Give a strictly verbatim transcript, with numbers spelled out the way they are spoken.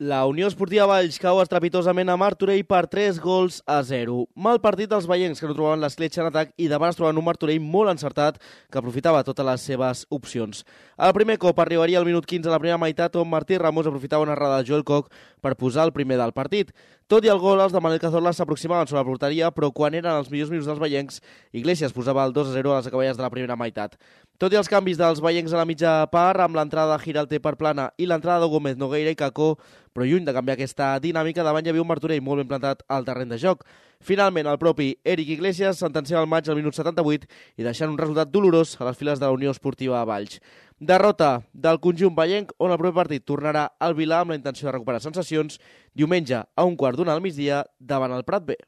La Unió Esportiva Valls cau estrepitosament a Martorell per tres gols a zero. Mal partit dels veiencs que no trobaven l'escletxa en atac i davant es trobaven un Martorell molt encertat que aprofitava totes les seves opcions. El primer cop arribaria al minut quinze a la primera meitat on Martí Ramos aprofitava una errada de Joel Koch per posar el primer del partit. Tot i el gol, els de Manel Cazorla s'aproximaven sobre la porteria, però quan eren els millors minuts dels veiencs, Iglesias posava el dos a zero a les acaballes de la primera meitat. Tot i els canvis dels veiencs a la mitja part, amb l'entrada de Giralté per Plana i l'entrada de Gómez, Nogueira i Cacó, però lluny de canviar aquesta dinàmica, davant hi havia un Martorell molt ben plantat al terreny de joc. Finalment, el propi Eric Iglesias sentenciava el maig al minut setanta-vuit i deixant un resultat dolorós a les files de la Unió Esportiva Valls. Derrota del conjunt veienc, on el proper partit tornarà al Vilà amb la intenció de recuperar sensacions diumenge a un quart d'una al migdia davant el Prat B.